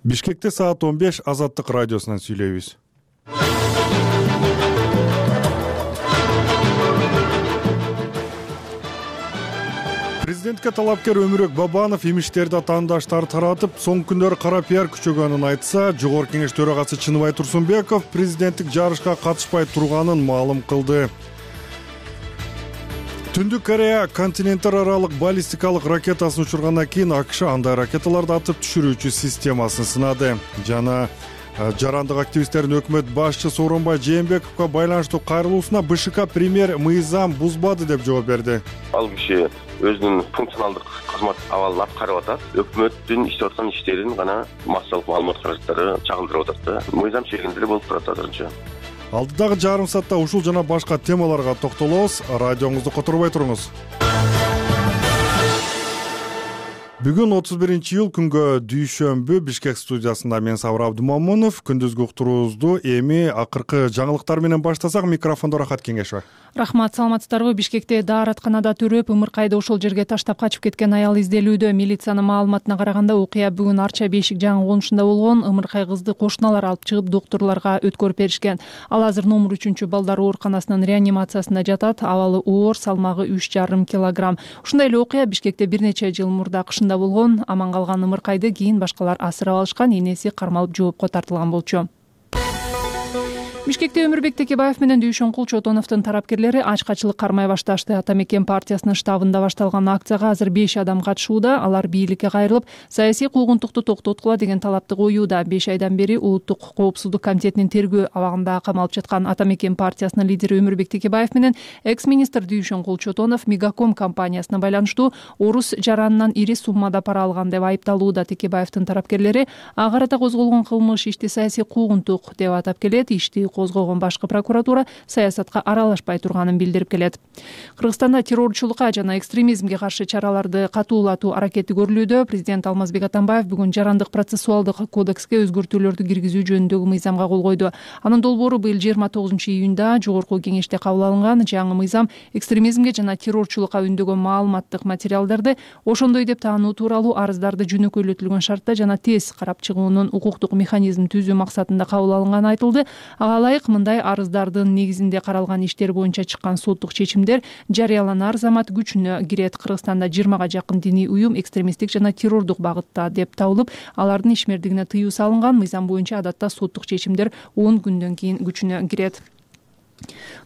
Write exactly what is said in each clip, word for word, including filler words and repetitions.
Бишкекте саат он беш Азаттык радиосунан сүйлөйбүз. Президентке талапкер Өмүрбек Бабанов имиштерди атаандаштары таратып, соңку күндөрү кара пиар күчөгөнүн айтса, Жогорку Кеңеш төрагасы Чыныбай Турсунбеков президенттик жарышка катышпай турганын маалым кылды. Түндүк Корея континенттер аралык баллистикалык ракетасын учургандан кийин АКШ андай ракеталарды атып түшүрүүчү системасын сынады. Жана жарандык активисттердин өкмөт башчысы Сооронбай Жээнбековго байланыштуу кайрылуусуна БШК премьер мыйзам бузбады деп жооп берди. Ал киши өзүнүн функционалдык кызмат абалын аткарып атат. Өкмөттүн иштеп аткан иштерин гана массалык маалымат каражаттары чагылдырып атат да. Мыйзам чегинде эле болуп турат азырынча. Алдыдагы жарым саатта ушул жана башка темаларга токтолобуз. Радиоңузду которбой туруңуз. Бүгүн отуз биринчи iyul күнгө дүйшөмбү Бишкек студиясында мен Сабыр Абдумамунов. Күндүзгү уктуруубузду эми акыркы жаңылыктар менен баштасак, микрофондо Рахат Кеңешова. Рахмат, саламатсыздарбы? Бишкекте дааратканада төрөп, ымыркайды ошол жерге таштап качып кеткен аял изделүүдө. Милициянын маалыматына караганда, окуя бүгүн Арча Бешик жаңы конушунда болгон. Ымыркай кызды кошуналар алып чыгып, доктурларга өткөрүп беришкен. Ал азыр номер үчүнчү балдар ооруканасынын реанимациясында жатат. Абалы оор, салмагы үч жарым килограмм. Ушундай эле окуя Бишкекте бир нече жыл мурда кышында болгон. Аман калган ымыркайды кийин башкалар асырап алышкан, энеси кармалып жоопко тартылган болчу. Бишкекте Өмүрбек Текебаев менен Дүйшөнкул Чотоновдун тарапкерлери ачкачылык кармай башташты. Ата Мекен партиясынын штабында башталган акцияга азыр беш адам катышууда. Алар бийликке кайрылып, саясий куугунтукту токтоткула деген талапты коюуда. беш айдан бери Улуттук коопсуздук комитетинин тергөө абагында камалып жаткан Ата Мекен партиясынын лидери Өмүрбек Текебаев менен экс-министр Дүйшөнкул Чотонов Мегаком компаниясына байланыштуу орус жаранынан ири суммада пара алган деп айыпталууда. Текебаевдин тарапкерлери ага карата козголгон кылмыш ишти саясий куугунтук деп атап келет. Ишти козгогон башкы прокуратура саясатка аралашпай турганын билдирип келет. Кыргызстанда террорчулукка жана экстремизмге каршы чараларды катуулатуу аракети көрүлүүдө. Президент Алмазбек Атамбаев бүгүн жарандык процессуалдык кодекске өзгөртүүлөрдү киргизүү жөнүндөгү мыйзамга кол койду. Анын долбоору быйыл жыйырма тогузунчу июнда Жогорку Кеңеште кабыл алынган. Жаңы мыйзам экстремизмге жана террорчулукка үндөгөн маалыматтык материалдарды ошондой деп таануу тууралуу арыздарды жөнөкөйлөтүлгөн шартта жана тез карап чыгуунун укуктук механизм түзүү максатында кабыл алынганы айтылды. Ага ылайык мындай арыздардын негизинде каралган иштер боюнча чыккан соттук чечимдер жарыяланар замат күчүнө кирет. Кыргызстанда жыйырмага жакын диний уюм экстремисттик жана террордук багытта деп табылып, алардын ишмердигине тыюу салынган. Мыйзам боюнча адатта соттук чечимдер он күндөн кийин күчүнө кирет.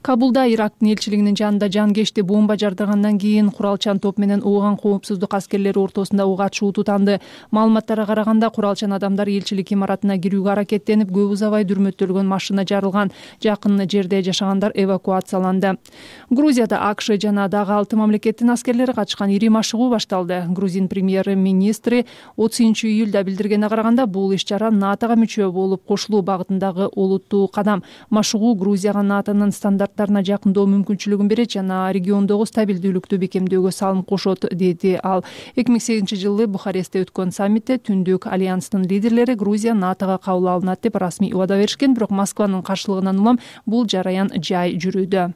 Кабулда Ирактын элчилигинин жанында жангечти бомба жардыргандан кийин куралчан топ менен ооған коопсуздук аскерлери ортосунда ок атышуу тутанды. Маалыматтарга караганда, куралчан адамдар элчилик имаратына кирүүгө аракеттенип, көп узабай дүрмөттөлгөн машина жарылган. Жакын жерде жашагандар эвакуацияланды. Грузияда АКШ жана дагы алты мамлекеттин аскерлери катышкан ири машыгуу башталды. Грузин премьер-министри отузунчу июлда билдиргенине караганда, бул иш-чара НАТОга мүчө болуп кошулуу багытындагы олуттуу кадам. Машыгуу Грузияга НАТОнун стандарттарына жакындоо мүмкүнчүлүгүн берет жана региондогу стабилдүүлүктү бекемдөөгө салым кошот, деди ал. эки миң сегизинчи жылы Бухарестте өткөн саммитте Түндүк альянстын лидерлери Грузия НАТОга кабыл алынат деп расмий убада беришкен, бирок Москванын каршылыгынан улам бул жараян жай жүрүүдө.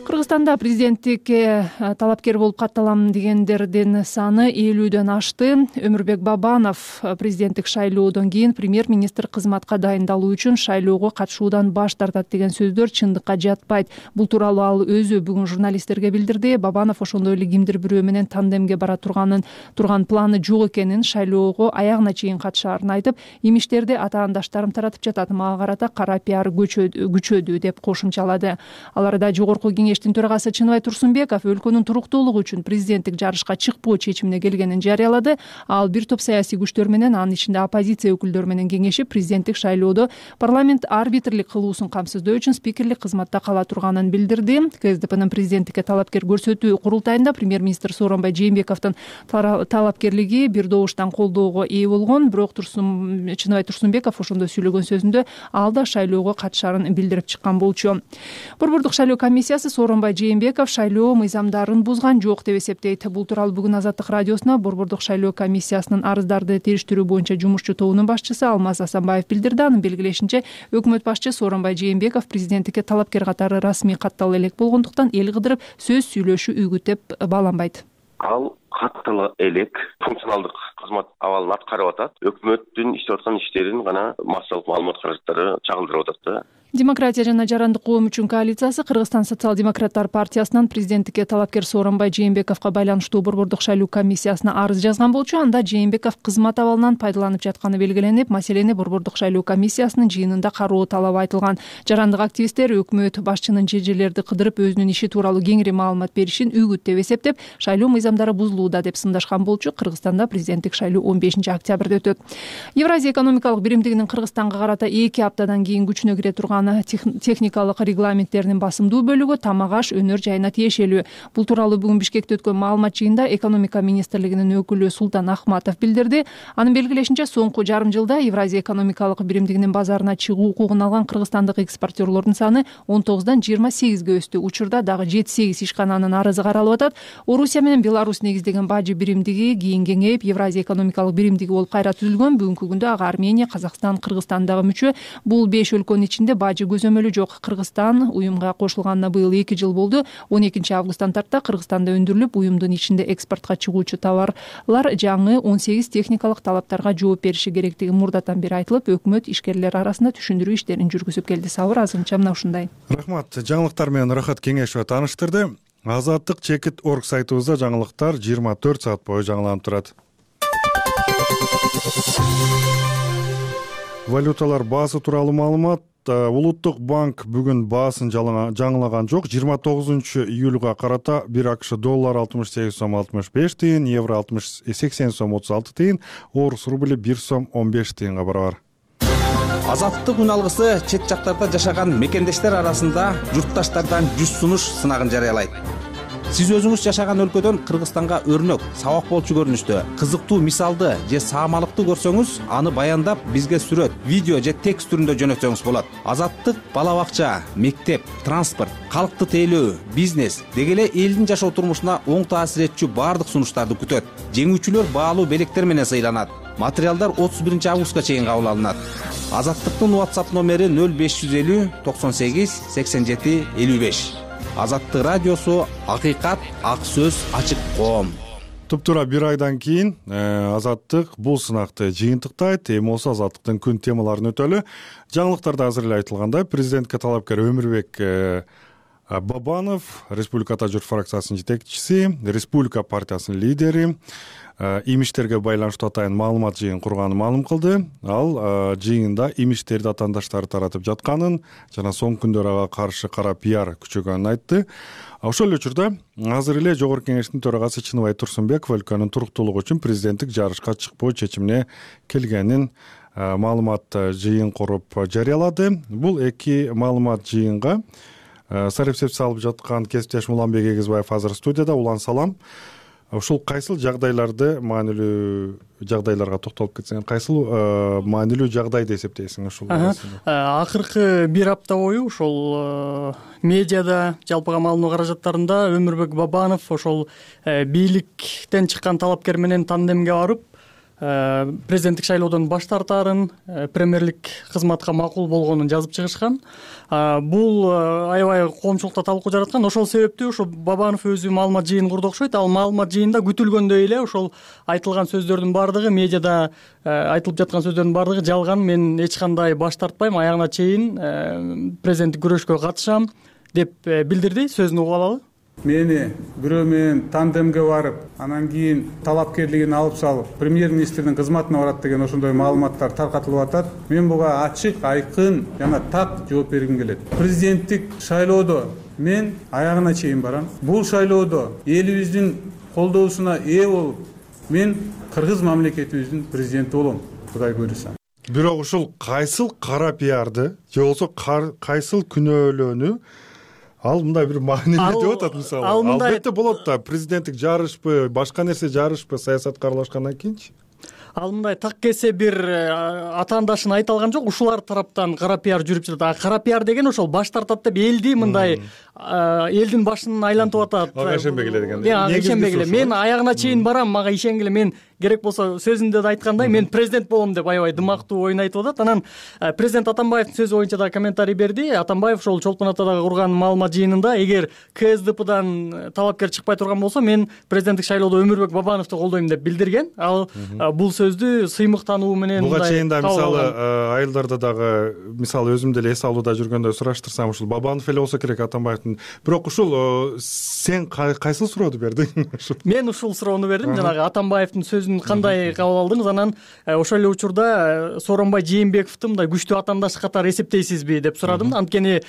Кыргызстанда президенттикке талапкер болуп катталам дегендердин саны элүүдөн ашты. Өмүрбек Бабанов президенттик шайлоодон кийин премьер-министр кызматка дайындалуу үчүн шайлоого катышуудан баш тартат деген сөздөр чындыкка жатпайт. Бул тууралуу ал өзү бүгүн журналисттерге билдирди. Бабанов ошондой эле кимдир бирөө менен тандемге бара турганын турган планы жок экенин, шайлоого аягына чейин катышаарын айтып, имиштерди атаандаштарым таратып жатат, мага карата кара пиар күчөдү деп кошумчалады. Аларда Жогорку Кеңештин төрагасы Чыныбай Турсунбеков өлкөнүн туруктуулугу үчүн президенттик жарышка чыкпоо чечимине келгенин жарыялады. Ал бир топ саясий күчтөр менен, анын ичинде оппозиция өкүлдөрү менен кеңешип, президенттик шайлоодо парламент арбитрлик кылуусун камсыздоо үчүн спикерлик кызматта кала турганын билдирди. КСДПнын президенттикке талапкер көрсөтүү курултайында премьер-министр Сооронбай Жээнбековдун талапкерлиги бир добуштан колдоого ээ болгон. Бирок Чыныбай Турсунбеков ошондо сүйлөгөн сөзүндө ал да шайлоого катышарын билдирип чыккан болчу. Борбордук шайлоо комиссиясы Сооронбай Жээнбеков шайлоо мыйзамдарын бузган жок деп эсептейт. Бул тууралуу бүгүн Азаттык радиосуна Борбордук шайлоо комиссиясынын арыздарды териштирүү боюнча жумушчу тобунун башчысы Алмаз Асанбаев билдирди. Анын белгилешинче, өкмөт башчы Сооронбай Жээнбеков президенттикке талапкер катары расмий каттала элек болгондуктан эл кыдырып сөз сүйлөшүү үгүт деп бааланбайт. ал каттала элек функционалдык кызмат абалын аткарып атат. Өкмөттүн иштеп аткан иштерин гана массалык маалымат каражаттары чагылдырып атат да. Демократия жана жарандык коом үчүн коалициясы Кыргызстан социал-демократтар партиясынан президенттикке талапкер Сооронбай Жээнбековго байланыштуу борбордук шайлоо комиссиясына арыз жазган болчу. Анда Жээнбеков кызмат абалынан пайдаланып жатканы белгиленип, маселени борбордук шайлоо комиссиясынын жыйынында кароо талабы айтылган. Жарандык активисттер өкмөт башчынын жежелерди кыдырып өзүнүн иши тууралуу кеңири маалымат беришин үгүт деп эсептеп, шайлоо мыйзамдары бузулууда деп сындашкан болчу. Кыргызстанда президенттик шайлоо он бешинчи октябрда өтөт. Евразия экономикалык биримдигинин Кыргызстанга карата эки аптадан кийин күчүнө кире турган техникалык регламенттеринин басымдуу бөлүгү тамак аш өнөр жайына тиешелүү. Бул тууралуу бүгүн Бишкекте өткөн маалымат жыйында экономика министрлигинин өкүлү Султан Ахматов билдирди. Анын белгилешинче, соңку жарым жылда Евразия экономикалык биримдигинин базарына чыгуу укугун алган кыргызстандык экспортерлордун саны он тогуздан жыйырма сегизге өстү. Учурда дагы жети сегиз ишкананын арызы каралып атат. Орусия менен Беларусь негиздеген бажы биримдиги кийин кеңейип, Евразия экономикалык биримдиги болуп кайра түзүлгөн. Бүгүнкү күндө ага Армения, Казакстан, Кыргызстан дагы мүчө. Бул беш өлкөнүн ичинде бажы көзөмөлү жок. Кыргызстан уюмга кошулганына быйыл эки жыл болду. он экинчи августтан тарта Кыргызстанда өндүрүлүп, уюмдун ичинде экспортко чыгуучу товарлар жаңы он сегиз техникалык талаптарга жооп бериши керектиги мурдатан бери айтылып, өкмөт ишкерлер арасында түшүндүрүү иштерин жүргүзүп келди. Сабыр азырынча мына ушундай. Рахмат. Жаңылыктар менен Рахат Кеңешова тааныштырды. Азаттык чекит орг сайтыбызда жаңылыктар жыйырма төрт саат бою жаңыланып турат. Валюталар баасы тууралуу маалымат. Улуттук банк бүгүн баасын жаңылаган жок. жыйырма тогузунчу июлга карата бир АКШ доллар алтымыш сегиз сом алтымыш беш тыйын, евро алтымыш сексен сом отуз алты тыйын, орус рубли бир сом он беш тыйынга барабар. Азаттык үн алгысы чет жактарда жашаган мекендештер арасында журтташтардан жүз сунуш сынагын жарыялайт. Сиз өзүңүз жашаган өлкөдөн Кыргызстанга өрнөк, сабак болчу көрүнүштө, кызыктуу мисалды же саамалыкты көрсөңүз, аны баяндап бизге сүрөт, видео же текст түрүндө жөнөтсөңүз болот. Азаттык бала бакча, мектеп, транспорт, калкты тейлөө, бизнес деги эле элдин жашоо турмушуна оң таасир этчү баардык сунуштарды күтөт. Жеңүүчүлөр баалуу белектер менен сыйланат. Материалдар отуз биринчи августка чейин кабыл алынат. Азаттыктын WhatsApp номери нөл беш жүз элүү токсон сегиз сексен жети элүү беш. Азаттык радиосу, акыйкат, ак сөз, ачык коом. Туптура бир айдан кийин Азаттык бул сынакты жыйынтыктайт. Эми болсо Азаттыктын күн темаларын өтөлү. Жаңылыктарда азыр эле айтылгандай, президентке талапкер Өмүрбек Бабанов, Республикада журт фракциясынын жетекчиси, Республика партиясынын лидери, имиштерге байланыштуу атайын маалымат жыйын курганын маалым кылды. Ал жыйында имиштерди атаандаштары таратып жатканын жана соңку күндөр ага каршы кара пиар күчөгөнүн айтты. Ошол эле учурда азыр эле Жогорку Кеңештин төрагасы Чыныбай Турсунбеков өлкөнүн туруктуулугу үчүн президенттик жарышка чыкпоо чечимине келгенин маалымат жыйын куруп жарыялады. Бул эки маалымат жыйынга сарепсеп салып жаткан кесиптеш Уланбек Эгизбаев азыр студияда. Улан, салам. Ушул кайсыл жагдайларды, маанилүү жагдайларга токтолуп кетсең, кайсыл маанилүү жагдай деп эсептейсиң ушул? Акыркы бир апта бою ошол медиада, жалпыга маалымдоо каражаттарында Өмүрбек Бабанов ошол бийликтен чыккан талапкер менен тандемге барып, президенттик шайлоодон баш тартаарын, премьерлик кызматка макул болгонун жазып чыгышкан. Бул аябай коомчулукта талкуу жараткан. Ошол себептүү ошо Бабанов өзү маалымат жыйын курду окшойт. Ал маалымат жыйында күтүлгөндөй эле ошол айтылган сөздөрдүн баардыгы, медиада айтылып жаткан сөздөрдүн баардыгы жалган, мен эч кандай баш тартпайм, аягына чейин президенттик күрөшкө катышам деп билдирди. Сөзүн угуп алалы. Мени бирөө менен тандемге барып, анан кийин талапкерлигин алып салып, премьер-министрдин кызматына барат деген ошондой маалыматтар таркатылып атат. Мен буга ачык, айкын жана так жооп бергим келет. Президенттик шайлоодо мен аягына чейин барам. Бул шайлоодо элибиздин колдоосуна ээ болуп, мен кыргыз мамлекетибиздин президенти болом, Кудай буйруса. Бирок ушул кайсыл кара пиарды же болбосо кайсыл күнөөлөөнү ал мындай бир маанилүү деп атат, мисалы. Албетте болот да, президенттик жарышпы, башка нерсе жарышпы, саясатка аралашкандан кийинчи. Ал мындай так кесе бир атаандашын айта алган жок, ушулар тараптан кара пиар жүрүп жатат. А кара пиар деген ошол баш тартат деп элди мындай элдин башын айлантып атат. Ага ишенбегиле деген. Ага ишенбегиле. Мен аягына чейин барам, мага ишенгиле, мен керек болсо сөзүндө да айткандай мен президент болом деп аябай дымактуу оюн айтып атат. Анан президент Атамбаевдин сөзү боюнча да комментарий берди. Атамбаев ошол Чолпон Атадагы курган маалымат жыйынында эгер КСДПдан талапкер чыкпай турган болсо мен президенттик шайлоодо Өмүрбек Бабановду колдойм деп билдирген. Ал бул сөздү сыймыктануу менен буга чейин да мисалы айылдарда дагы мисалы өзүм деле эс алууда жүргөндө сураштырсам ушул Бабанов эле болсо керек Атамбаевдин. Бирок ушул сен кайсыл суроону бердиң? Мен ушул суроону бердим. Жанагы Атамбаевдин сөзүн кандай кабыл алдыңыз? Анан ошол эле учурда Сооронбай Жээнбековду мындай күчтүү атаандаш катары эсептейсизби деп сурадым. Анткени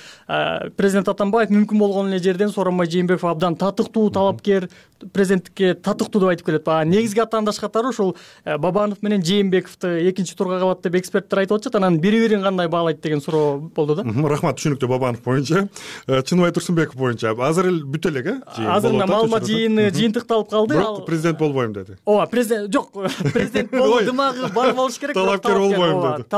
президент Атамбаев мүмкүн болгон эле жерден Сооронбай Жээнбеков абдан татыктуу талапкер, президенттикке татыктуу деп айтып келет. Негизги атаандаш катары ушул Бабанов менен Жээнбековду экинчи турга калат деп эксперттер айтып атышат. Анан бири-бирин кандай баалайт деген суроо болду да. Рахмат, түшүнүктүү. Бабанов боюнча, Чыныбай Турсунбеков боюнча азыр эле бүтө элек, э? Азыр маалымат жыйыны жыйынтыкталып калды. Бирок президент болбойм деди. Ооба, президент жок, президент болуу дымагы бар болуш керек. Талапкер болбойм деди.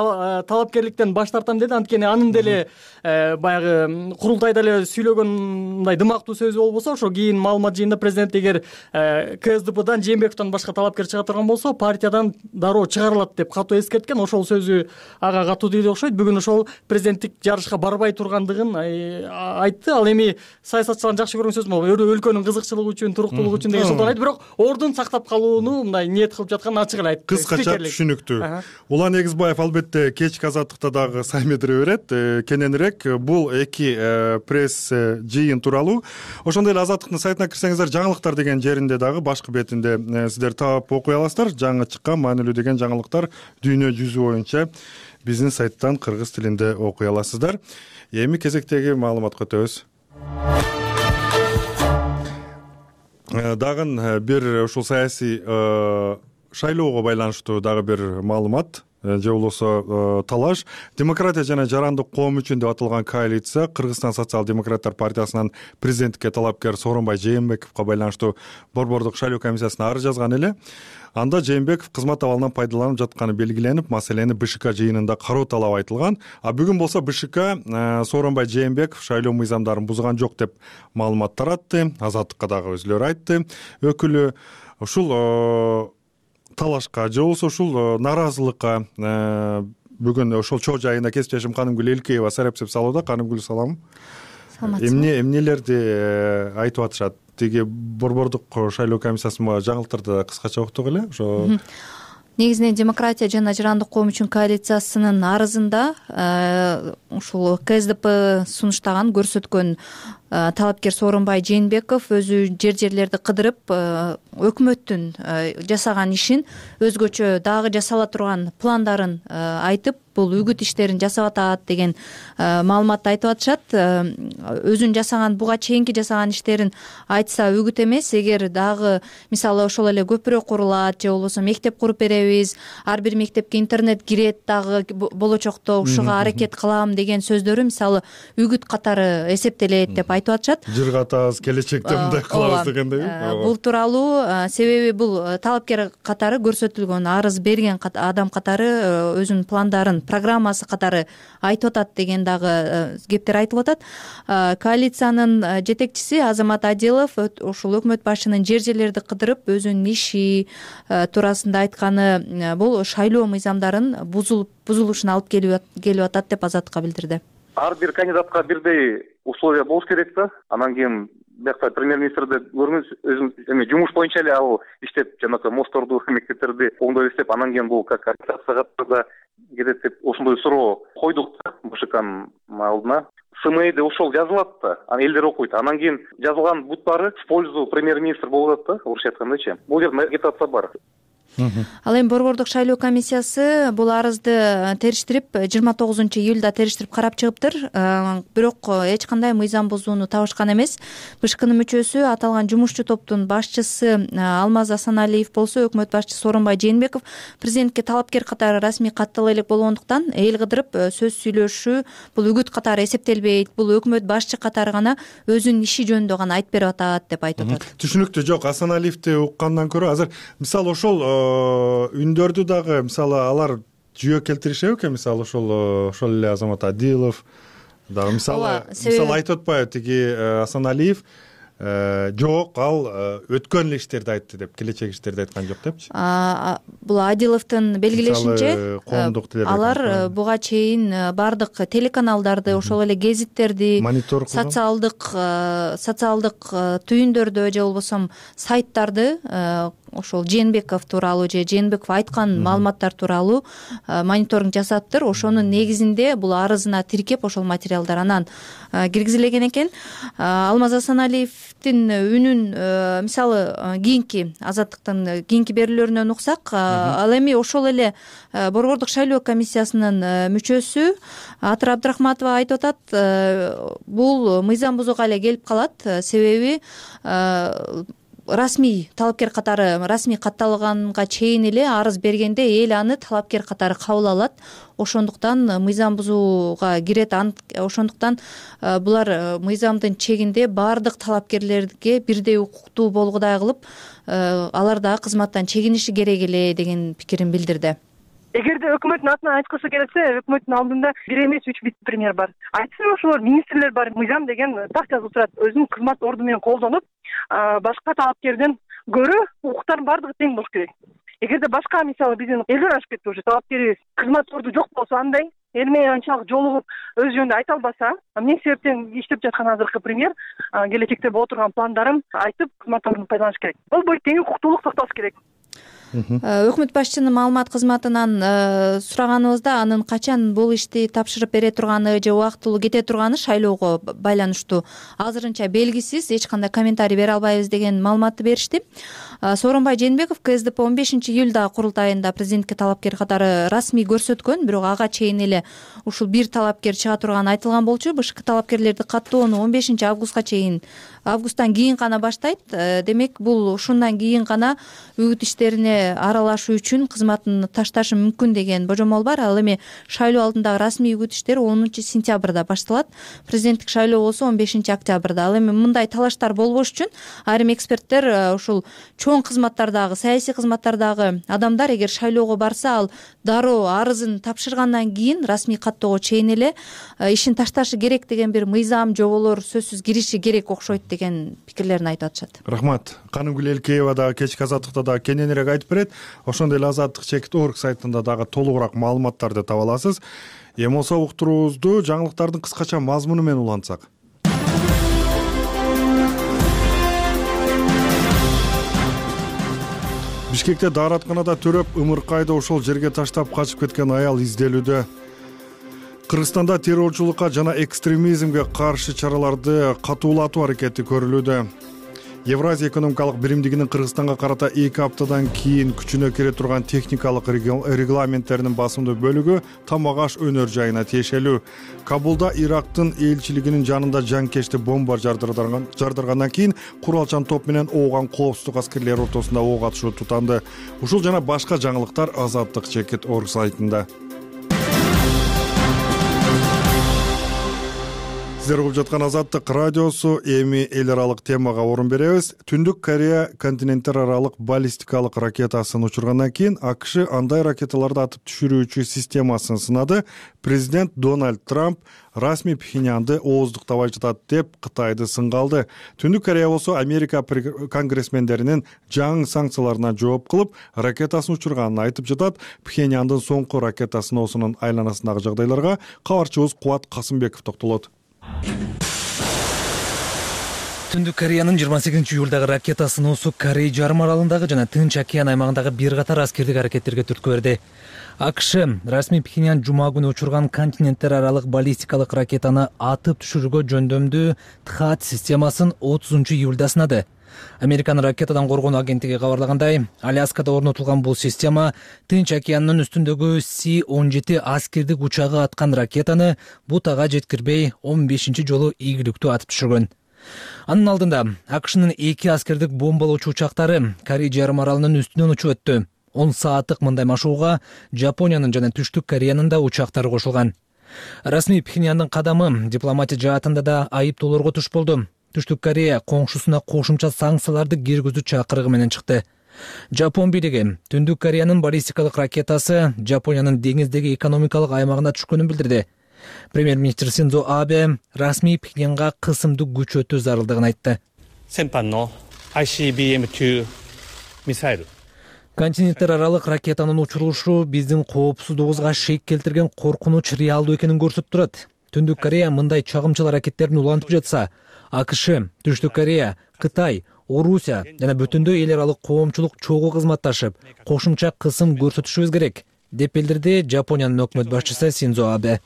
Талапкерликтен баш тартам деди. Анткени анын деле баягы курултайда эле сүйлөгөн мындай дымактуу сөзү болбосо, ошо кийин маалымат жыйында президент эгер КСДПдан Жээнбековдон башка талапкер чыга турган болсо, партиядан дароо чыгарылат деп катуу эскерткен. Ошол сөзү ага катуу тийди окшойт. Бүгүн ошол президенттик жарышка барбай тургандыгын айтты. Ал эми саясатчылардын жакшы көргөн сөзү болуп, өлкөнүн кызыкчылыгы үчүн, туруктуулугу үчүн деген сөздү айтты. Бирок ордун сактап калууну мындай ниет кылып жатканын ачык эле айтты. Кыскача түшүнүктүү. Улан Эгизбаев албетте кечки азаттыкта дагы саймедире берет. Кененирээк бул эки пресс жыйын тууралуу. Ошондой эле азаттыктын сайтына кирсеңиздер, жаңылыктар деген жеринде дагы башкы бетинде сиздер таап окуй аласыздар. Жаңы чыккан маанилүү деген жаңылыктар дүйнө жүзү боюнча биздин сайттан кыргыз тилинде окуй аласыздар. Эми кезектеги маалыматка өтөбүз. Дагы бир ушул саясий шайлоого байланыштуу дагы бир маалымат же болбосо талаш. Демократия жана жарандык коом үчүн деп аталган коалиция Кыргызстан социал-демократтар партиясынын президенттикке талапкер Сооронбай Жээнбековго байланыштуу Борбордук шайлоо комиссиясына арыз жазган эле. Анда Жээнбеков кызмат абалынан пайдаланып жатканы белгиленип, маселени БШК жыйынында кароо талабы айтылган. А бүгүн болсо БШК Сооронбай Жээнбеков шайлоо мыйзамдарын бузган жок деп маалымат таратты. Азаттыкка дагы өзүлөрү айтты. Өкүлү ушул талашка же болбосо ушул нааразылыкка бүгүн ошол чоо жайында кесиптешим Канымгүл Элкеева сарапчылык салууда. Канымгүл, салам. Саламатсызбы. Эмне эмнелерди айтып атышат? Тиги Борбордук шайлоо комиссиясына жаңылыктарды кыскача уктук эле. Ошо негизинен демократия жана жарандык коом үчүн коалициясынын арызында ушул КСДП сунуштаган көрсөткөн талапкер Сооронбай Жээнбеков өзү жер жерлерди кыдырып өкмөттүн жасаган ишин, өзгөчө дагы жасала турган пландарын айтып, бул үгүт иштерин жасап атат деген маалыматты айтып атышат. Өзүн жасаган, буга чейинки жасаган иштерин айтса үгүт эмес. Эгер дагы мисалы ошол эле көпүрө курулат же болбосо мектеп куруп беребиз, ар бир мектепке интернет кирет дагы болочокто ушуга аракет кылам деген сөздөрү мисалы үгүт катары эсептелет деп айтып атышат. Жыргатабыз, келечекте мындай кылабыз дегендей. Бул тууралуу себеби бул талапкер катары көрсөтүлгөн, арыз берген адам катары өзүнүн пландарын, программасы катары айтып атат деген дагы кептер айтылып атат. Коалициянын жетекчиси Азамат Адилов ушул өкмөт башчынын жер жерлерди кыдырып өзүнүн иши туурасында айтканы бул шайлоо мыйзамдарын бузулуп бузулушуна алып келип атат деп Азаттыкка билдирди. Ар бир кандидатка бирдей условия болуш керек да. Анан кийин биякта премьер-министрди көрүңүз, өзүм эми жумуш боюнча эле ал иштеп, жанакы мостторду, мектептерди оңдой иштеп, анан кийин бул как агитацияга да кетет деп ошондой суроо койдук да БШКнын алдына. СМИде ошол жазылат да, анан элдер окуйт. Анан кийин жазылган буттары в пользу премьер-министр болуп атат да, орусча айткандачы. Бул жерде агитация бар. Ал эми Борбордук шайлоо комиссиясы бул арызды териштирип жыйырма тогузунчу июлда териштирип карап чыгыптыр. Бирок эч кандай мыйзам бузууну табышкан эмес. БШКнын мүчөсү аталган жумушчу топтун башчысы Алмаз Асаналиев болсо өкмөт башчысы Сооронбай Жээнбеков президентке талапкер катары расмий каттала элек болгондуктан эл кыдырып сөз сүйлөшүү бул үгүт катары эсептелбейт. Бул өкмөт башчы катары гана өзүнүн иши жөнүндө гана айтып берип атат деп айтып атат. Түшүнүктүү. Жок, Асаналиевди уккандан көрө азыр мисалы ошол үндөрдү дагы мисалы алар жүйө келтиришеби экен, мисалы ошол ошол эле Азамат Адилов дагы мисалы мисалы айтып атпайбы тиги Асаналиев жок, ал өткөн эле иштерди айтты деп, келечек иштерди айткан жок депчи. Бул Адиловдун белгилешинче коомдук алар буга чейин баардык телеканалдарды, ошол эле гезиттерди, социалдык социалдык түйүндөрдү же болбосо сайттарды ошол Жээнбеков тууралуу же Жээнбеков айткан маалыматтар тууралуу мониторинг жасаптыр. Ошонун негизинде бул арызына тиркеп ошол материалдар анан киргизилген экен. Алмаз Асаналиевдин үнүн мисалы кийинки Азаттыктын кийинки берүүлөрүнөн уксак, ал эми ошол эле Борбордук шайлоо комиссиясынын мүчөсү Атыр Абдрахматова айтып атат, бул мыйзам бузууга эле келип калат, себеби расмий талапкер катары расмий катталганга чейин эле арыз бергенде эл аны талапкер катары кабыл алат. Ошондуктан мыйзам бузууга кирет. Ошондуктан булар мыйзамдын чегинде баардык талапкерлерге бирдей укуктуу болгудай кылып, алар дагы кызматтан чегиниши керек эле деген пикирин билдирди. Эгерде өкмөттүн атынан айткысы келсе, өкмөттүн алдында бир эмес үч вице-премьер бар. Айтсын, ошолор министрлер бар. Мыйзам деген так жазылып турат. Өзүнүн кызмат орду менен колдонуп, башка талапкерден көрө укуктардын баардыгы тең болуш керек. Эгерде башка мисалы биздин элдер ашып кетти, уже талапкерибиз кызмат орду жок болсо, андай эл менен анчалык жолугуп өз жөнүндө айта албаса, эмне себептен иштеп жаткан азыркы премьер келечекте боло турган пландарын айтып, кызмат ордун пайдаланыш керек. Болбойт, тең укуктуулук сакталыш керек. Өкмөт башчынын маалымат кызматынан сураганыбызда анын качан бул ишти тапшырып бере турганы же убактылуу кете турганы шайлоого байланыштуу азырынча белгисиз, эч кандай комментарий бере албайбыз деген маалыматты беришти. Сооронбай Жээнбеков КСДП он бешинчи июлда курултайында президентке талапкер катары расмий көрсөткөн, бирок ага чейин эле ушул бир талапкер чыга турганы айтылган болчу. БШК талапкерлерди каттоону он бешинчи августка чейин августтан кийин гана баштайт. Демек, бул ушундан кийин гана үгүт иштерине аралашуу үчүн кызматын ташташы мүмкүн деген божомол бар. Ал эми шайлоо алдындагы расмий үгүт иштери онунчу сентябрда башталат. Президенттик шайлоо болсо он бешинчи октябрда. Ал эми мындай талаштар болбош үчүн айрым эксперттер ушул чоң кызматтардагы, саясий кызматтардагы адамдар эгер шайлоого барса, ал дароо арызын тапшыргандан кийин расмий каттоого чейин эле ишин ташташы керек деген бир мыйзам, жоболор сөзсүз кириши керек окшойт деген пикирлерин айтып атышат. Рахмат. Канымгүл Элкеева дагы кечки Азаттыкта дагы кененирээк айтып берет. Ошондой эле Азаттык чекит орг сайтында дагы толугураак маалыматтарды таба аласыз. Эми болсо уктуруубузду жаңылыктардын кыскача мазмуну менен улантсак. Бишкекте дааратканада төрөп ымыркайды ошол жерге таштап качып кеткен аял изделүүдө. Кыргызстанда террорчулукка жана экстремизмге каршы чараларды катуулатуу аракети көрүлүүдө. Евразия экономикалык биримдигинин Кыргызстанга карата эки аптадан кийин күчүнө кире турган техникалык регламенттеринин басымдуу бөлүгү Тамак аш өнөр жайына тиешелүү. Кабулда Ирактын элчилигинин жанында жанкечти бомба жардыргандан кийин куралчан топ менен ооган коопсуздук аскерлери ортосунда ок атышуу тутанды. Ушул жана башка жаңылыктар Азаттык чекит орг сайтында. Сиздер угуп жаткан Азаттык радиосу. Эми эл аралык темага орун беребиз. Түндүк Корея континенттер аралык баллистикалык ракетасын учургандан кийин АКШ андай ракеталарды атып түшүрүүчү системасын сынады. Президент Дональд Трамп расмий Пхеньянды ооздуктабай жатат деп Кытайды сынга алды. Түндүк Корея болсо Америка конгрессмендеринин жаңы санкцияларына жооп кылып, ракетасын учурганын айтып жатат. Пхеньяндын соңку ракета сыноосунун айланасындагы жагдайларга кабарчыбыз Кубат Касымбеков токтолот. Түндүк Кореянын жыйырма сегизинчи июлдагы ракета сыноосу Корей жарым аралындагы жана Тынч океан аймагындагы бир катар аскердик аракеттерге түрткү берди. АКШ расмий Пхеньян жума күнү учурган континенттер аралык баллистикалык ракетаны атып түшүрүүгө жөндөмдүү ТХААД системасын отузунчу июлда сынады. Американын ракетадан коргонуу агенттиги кабарлагандай, Аляскада орнотулган бул система Тынч океанынын үстүндөгү Си он жети аскердик учагы аткан ракетаны бутага жеткирбей он бешинчи жолу ийгиликтүү атып түшүргөн. Анын алдында АКШнын эки аскердик бомбалоочу учактары Корей жарым аралынын үстүнөн учуп өттү. он сааттык мындай машууга Жапониянын жана Түштүк Кореянын да учактары кошулган. Расмий Пхеньяндын кадамы дипломатия жаатында да айыптоолорго туш болду. Түштүк Корея коңшусуна кошумча санкцияларды киргизүү чакырыгы менен чыкты. Жапон бийлиги Түндүк Кореянын баллистикалык ракетасы Жапониянын деңиздеги экономикалык аймагына түшкөнүн билдирди. Премьер-министр Синдзо Абе расмий Пхеньянга кысымдуу күч өтүү зарылдыгын айтты. 先般の アイシービーエムツー ミサイル。континенттер аралык ракетанын учурулушу биздин коопсуздугубузга шек келтирген коркунуч реалдуу экенин көрсөтүп турат. Түндүк Корея мындай чагымчыл аракеттерин улантып жатса, АКШ, Түштүк Корея, Кытай, Орусия жана бүтүндөй эл аралык коомчулук чогуу кызматташып, кошумча кысым көрсөтүшүбүз керек, деп билдирди Жапониянын өкмөт башчысы Синдзо Абе.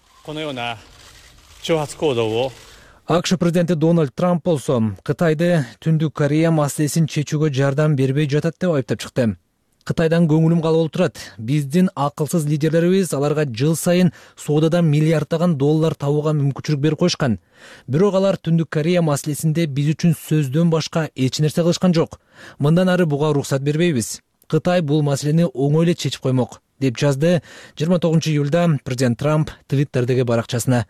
АКШ президенти Дональд Трамп болсо Кытайды Түндүк Корея маселесин чечүүгө жардам бербей жатат деп айыптап чыкты. Кытайдан көңүлүм калып турат. Биздин акылсыз лидерлерибиз аларга жыл сайын соодадан миллиарддаган доллар табууга мүмкүнчүлүк берип коюшкан. Бирок алар Түндүк Корея маселесинде биз үчүн сөздөн башка эч нерсе кылышкан жок. Мындан ары буга уруксат бербейбиз. Кытай бул маселени оңой эле чечип коймок, деп жазды жыйырма тогузунчу июлда президент Трамп Твиттердеги баракчасына.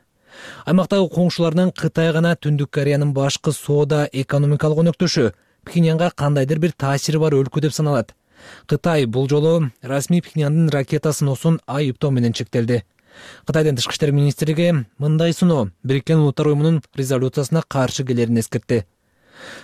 Аймактагы коңшуларынын Кытай гана Түндүк Кореянын башкы соода экономикалык өнөктөшү, Пхеньянга кандайдыр бир таасири бар өлкө деп саналат. Кытай бул жолу расмий Пхеньяндын ракета сыноосун айыптоо менен чектелди. Кытайдын тышкы иштер министрлиги мындай сыноо Бириккен Улуттар уюмунун резолюциясына каршы келерин эскертти.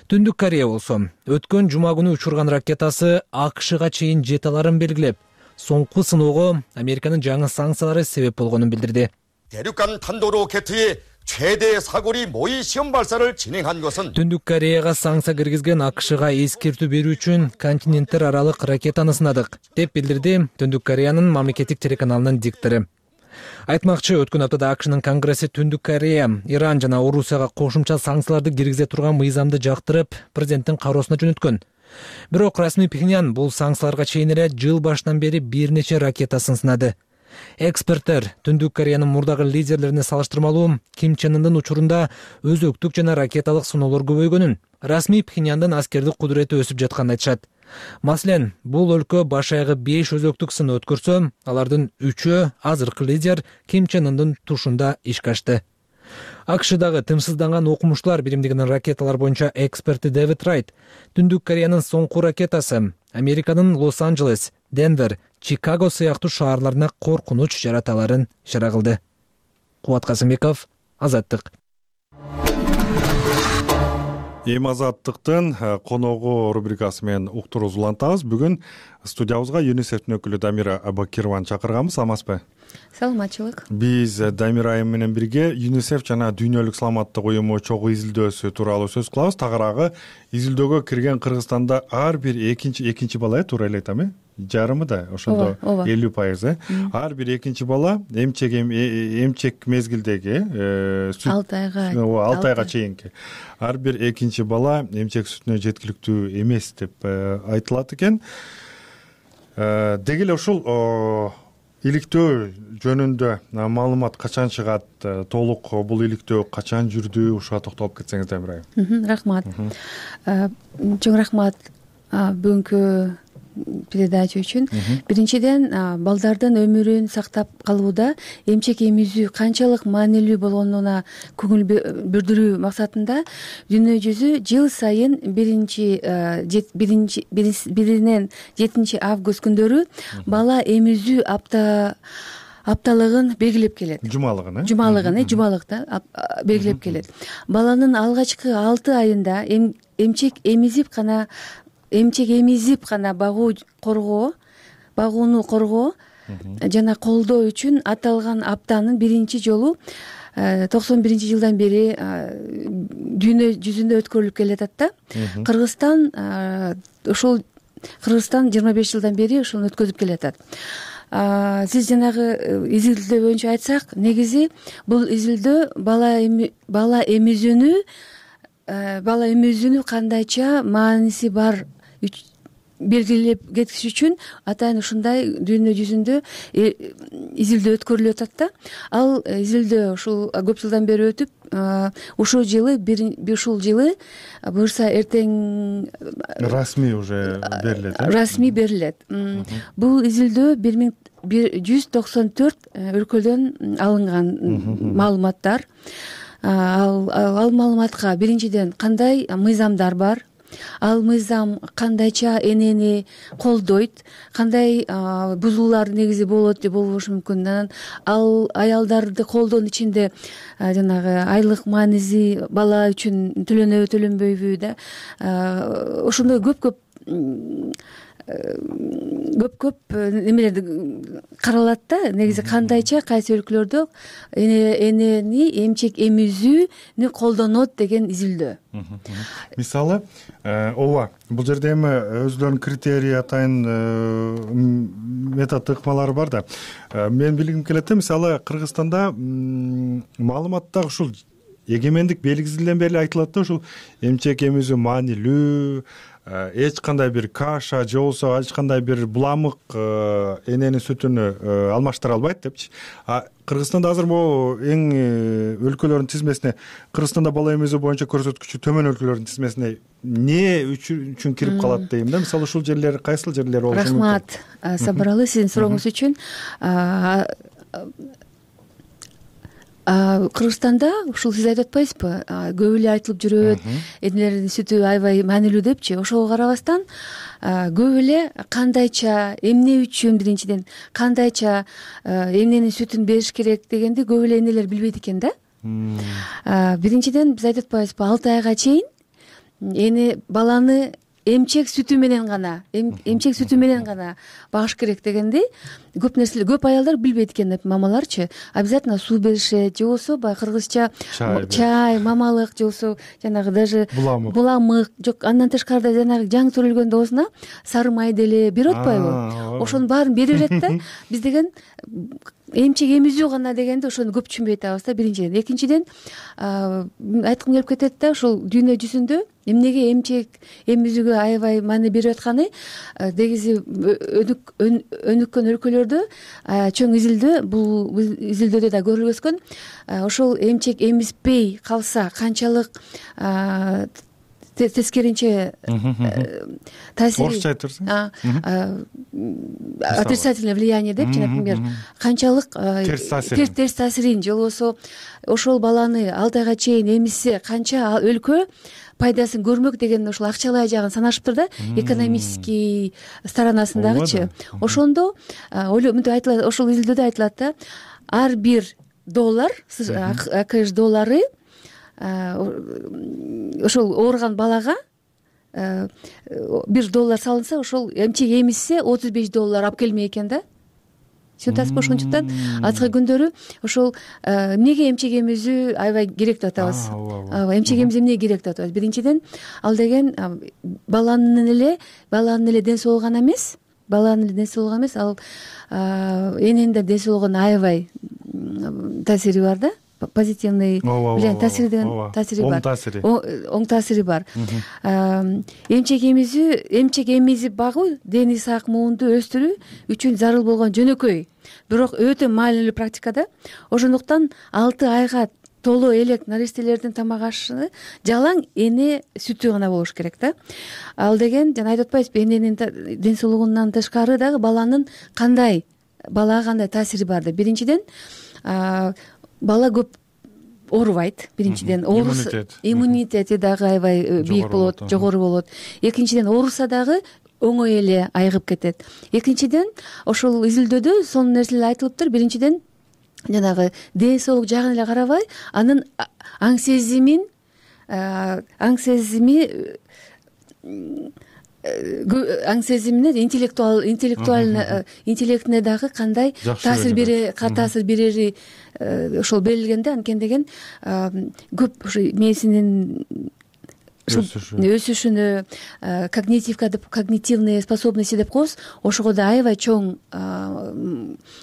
Түндүк Корея болсо өткөн жума күнү учурган ракетасы АКШга чейин жете аларын белгилеп, соңку сыноого Американын жаңы санкциялары себеп болгонун билдирди. 대륙간 탄도 로켓의 최대 사거리 모의 시험 발사를 진행한 것은 Түндүк Кореяга санкция киргизген АКШга эскертүү берүү үчүн континенттер аралык ракетаны сынадык, деп билдирди Түндүк Кореянын мамлекеттик телеканалынын диктору. Айтмакчы, өткөн аптада АКШнын конгресси Түндүк Корея, Иран жана Орусияга кошумча санкцияларды киргизе турган мыйзамды жактырып, президенттин кароосуна жөнөткөн. Бирок расмий Пхеньян бул санкцияларга чейин эле жыл башынан бери бир нече ракетасын сынады. Эксперттер Түндүк Кореянын мурдагы лидерлерине салыштырмалуу Ким Чен Ындын учурунда өзөктүк жана ракеталык сыноолор көбөйгөнүн, расмий Пхеньяндын аскердик кудурети өсүп жатканын айтышат. Маселен, бул өлкө баш аягы беш өзөктүк сыны өткөрсө, алардын үчөө азыркы лидер Ким Чен Ындын тушунда ишке ашты. АКШдагы тымсызданган окумуштуулар биримдигинин ракеталар боюнча эксперти Дэвид Райт Түндүк Кореянын соңку ракетасы Американын Лос-Анджелес, Денвер, Чикаго сыяктуу шаарларына коркунуч жарата аларын ишара кылды. Кубат Касымбеков, Азаттык. Эми Азаттыктын коногу рубрикасы менен уктурубуз улантабыз. Бүгүн студиябызга ЮНИСЕФтин өкүлү Дамира Абакированы чакырганбыз. Амансызбы? Саламатчылык. Биз Дамира айым менен бирге ЮНИСЕФ жана Дүйнөлүк саламаттык уюму чогуу изилдөөсү тууралуу сөз кылабыз. Тагыраагы изилдөөгө кирген Кыргызстанда ар бир экинчи экинчи бала туура эле айтам э? Жарымы да ошондо элүү пайыз э? Ар бир экинчи бала эмчек эмчек мезгилдеги алты айга алты айга чейинки ар бир экинчи бала эмчек сүтүнө жеткиликтүү эмес деп айтылат экен. Деги эле ушул иликтөө жөнүндө маалымат качан чыгат, толук бул иликтөө качан жүрдү, ушуга токтолуп кетсеңиз Дамир айым. Рахмат. Чоң рахмат бүгүнкү передача үчүн. Биринчиден, балдардын өмүрүн сактап калууда эмчек эмизүү канчалык маанилүү болгонуна көңүл бүрдүрүү максатында дүйнө жүзү жыл сайын биринчи биринчи биринен жетинчи август күндөрү бала эмизүү апта апталыгын белгилеп келет. Жумалыгын, э? Жумалыгын, э, жумалыкта белгилеп келет. Баланын алгачкы алты айында эмчек эмизип гана эмчек эмизип гана багуу коргоо, багууну коргоо жана колдоо үчүн аталган аптанын биринчи жолу токсон биринчи жылдан бери дүйнө жүзүндө өткөрүлүп келатат да. Кыргызстан ушул Кыргызстан жыйырма беш жылдан бери ушуну өткөзүп келатат. Сиз жанагы изилдөө боюнча айтсак, негизи бул изилдөө бала бала эмизүүнү бала эмизүүнү кандайча мааниси бар белгилеп кетиш үчүн атайын ушундай дүйнө жүзүндө изилдөө өткөрүлүп атат да. Ал изилдөө ушул көп жылдан бери өтүп, ушул жылы ушул жылы буюрса эртең расмий уже берилет. Расмий берилет. Бул изилдөө бир миң жүз токсон төрт өлкөдөн алынган маалыматтар. Ал маалыматка биринчиден кандай мыйзамдар бар, ал мыйзам кандайча энени колдойт, кандай бузуулар негизи болот же болбошу мүмкүн. Анан ал аялдарды колдоонун ичинде жанагы айлык маанизи бала үчүн төлөнөбү төлөнбөйбү да, ошондой көп көп көп көп немелерди каралат да. Негизи кандайча кайсы өлкөлөрдө энени эмчек эмизүүнү колдонот деген изилдөө. Мисалы, ооба, бул жерде эми өзүлөрүнүн критерий атайын метод ыкмалары бар да. Мен билгим келет да, мисалы Кыргызстанда маалыматта ушул эгемендик белгизилден бери айтылат да, ушул эмчек эмизүү маанилүү, эч кандай бир каша же болбосо эч кандай бир буламык эненин сүтүнү алмаштыра албайт депчи. Кыргызстанда азыр могу эң өлкөлөрдүн тизмесине, Кыргызстанда бала эмизүү боюнча көрсөткүчү төмөн өлкөлөрдүн тизмесине эмне үчүн кирип калат дейм да. Мисалы ушул жерлер кайсыл жерлер болушу мүмкүн? Рахмат Сабыралы сиздин сурооңуз үчүн. Кыргызстанда ушул сиз айтып атпайсызбы, көп эле айтылып жүрөт, энелердин сүтү аябай маанилүү депчи. Ошого карабастан көп эле кандайча, эмне үчүн, биринчиден кандайча эмненин сүтүн бериш керек дегенди көп эле энелер билбейт экен да. Биринчиден биз айтып атпайбызбы, алты айга чейин эне баланы эмчек сүтү менен гана, эмчек сүтү менен гана багыш керек дегенди көп нерселер, көп аялдар билбейт экен, мамаларчы. Обязательно суу беришет, же болбосо баягы кыргызча чай, мамалык, же болбосо жанагы даже буламык, жок, андан тышкары жанагы жаңы төрөлгөн доосуна сары май деле берип атпайбы? Ошонун баарын бере берет да. Биз деген эмчек эмизүү гана дегенди ошону көп түшүнбөй атабыз да, биринчиден. Экинчиден, айткым келип кетет да, ушул дүйнө жүзүндө эмнеге эмчек эмизүүгө аябай маани берип атканы, негизи өнүккөн өлкөлөрдө чоң изилдөө, бул изилдөөдө да көрүлгөзгөн, ошол эмчек эмизбей калса канчалык тескеринче таасири, орусча айтырсың, отрицательное влияние депчи, например, канчалык терс таасирин, же болбосо ошол баланы алты айга чейин эмизсе канча өлкө пайдасын көрмөк деген ошол акчалай жагын санашыптыр да, экономический сторонасындагычы. Ошондо мынтип айтылат, ошол изилдөөдө айтылат да, ар бир доллар, АКШ доллары ошол ооруган балага бир доллар салынса, ошол эмчек эмизсе отуз беш доллар алып келмек экен да. Түшүнүп атасызбы? Ошондуктан азыркы күндөрү ошол эмнеге эмчек эмизүү аябай керек деп атабыз. Ооба, эмчек эмизүү эмнеге керек деп атабыз? Биринчиден, ал деген баланын эле баланын эле ден соолугу гана эмес, баланын эле ден соолугу эмес, ал эненин да ден соолугуна аябай таасири бар да. Позитивный влияние, таасири деген таасири бар. Оң таасири. Оң таасири бар. Эмчек эмизүү, эмчек эмизип багуу дени сак муунду өстүрүү үчүн зарыл болгон жөнөкөй, бирок өтө маанилүү практика да. Ошондуктан алты айга толо элек наристелердин тамак ашыны жалаң эне сүтү гана болуш керек да. Ал деген жана айтып атпайсызбы, эненин ден соолугунан тышкары дагы баланын кандай, балага кандай таасири бар деп. Биринчиден, бала көп оорубайт, биринчиден. Иммунитети дагы аябай бийик болот, жогору болот. Экинчиден, ооруса дагы оңой эле айыгып кетет. Экинчиден, ошол изилдөөдө сонун нерселер айтылыптыр. Биринчиден, жанагы ден соолук жагын эле карабай, анын аң сезимин, аң сезими аң сезимине, интеллектуал интеллектуальный интеллектине дагы кандай таасир бере таасир берери ошол берилген да. Анткени деген көп ушу мээсинин өсүшүнө, когнитивка деп, когнитивные способности деп коебуз, ошого да аябай чоң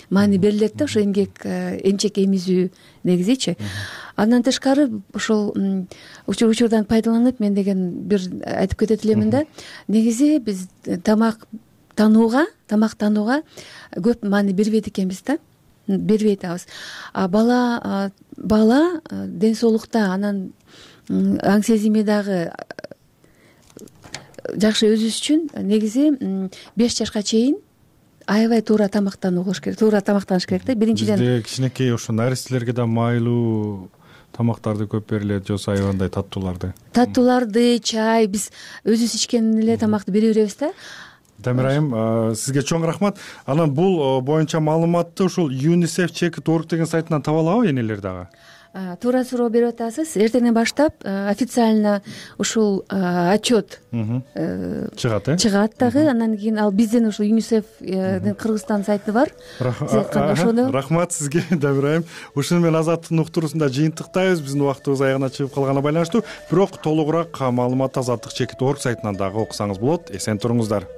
маани берилет да, ошо эмгек эмчек эмизүү негизичи. Андан тышкары ошол учурдан пайдаланып мен деген бир айтып кетет элемин да. Негизи биз тамак танууга, тамак танууга көп маани бербейт экенбиз да. Бербей атабыз. А бала бала ден соолукта, анан аң сезими дагы жакшы өсүш үчүн негизи беш жашка чейин аябай туура тамактануу кылыш керек, туура тамактаныш керек да. Биринчиден, бизде кичинекей ошо наристелерге да майлуу тамактарды көп берилет же айбандай таттууларды таттууларды чай биз өзүбүз ичкен эле тамакты бере беребиз да. Дамир айым, сизге чоң рахмат. Анан бул боюнча маалыматты ушул юнисеф чек точка орг деген сайтынан таба алабы энелер дагы? Туура суроо берип атасыз. Эртеңден баштап официально ушул отчет чыгат э чыгат дагы. Анан кийин ал бизден ушул юнисефдин Кыргызстан сайты бар. Рахмат сизге, Дамир айым. Ушуну менен Азаттыктын уктуруусунда жыйынтыктайбыз. Биздин убактыбыз аягына чыгып калганына байланыштуу. Бирок толугураак маалымат Азаттык чек точка орг сайтынан дагы окусаңыз болот. Эсен туруңуздар.